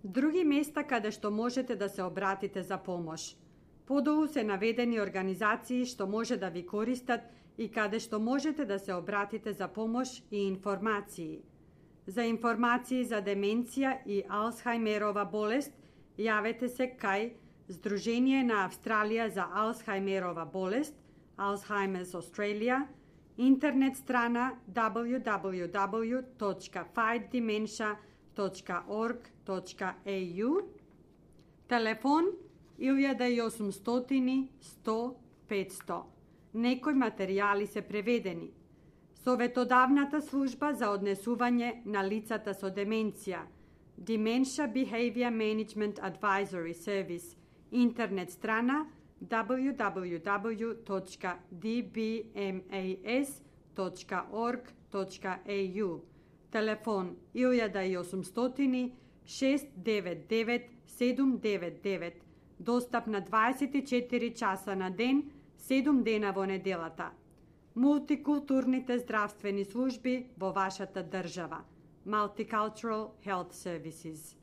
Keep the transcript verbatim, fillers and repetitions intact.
Други места каде што можете да се обратите за помош. Подолу се наведени организации што може да ви користат и каде што можете да се обратите за помош и информации. За информации за деменција и Алцхаймерова болест, јавете се кај Сдружение на Австралија за Алцхаймерова болест, Alzheimer's Australia, интернет страна дабљу дабљу дабљу точка fight dementia точка org точка a u, телефон илјада и осумстотини сто петсто. Некои материјали се преведени. Советодавната служба за однесување на лицата со деменција, Dementia Behavior Management Advisory Service, интернет страна дабљу дабљу дабљу точка d b m a s точка org точка a u, телефон илјада и осумстотини шест девет девет седум девет девет, достап на дваесет и четири часа на ден, седум дена во неделата. Мултикултурните здравствени служби во вашата држава. Multicultural Health Services.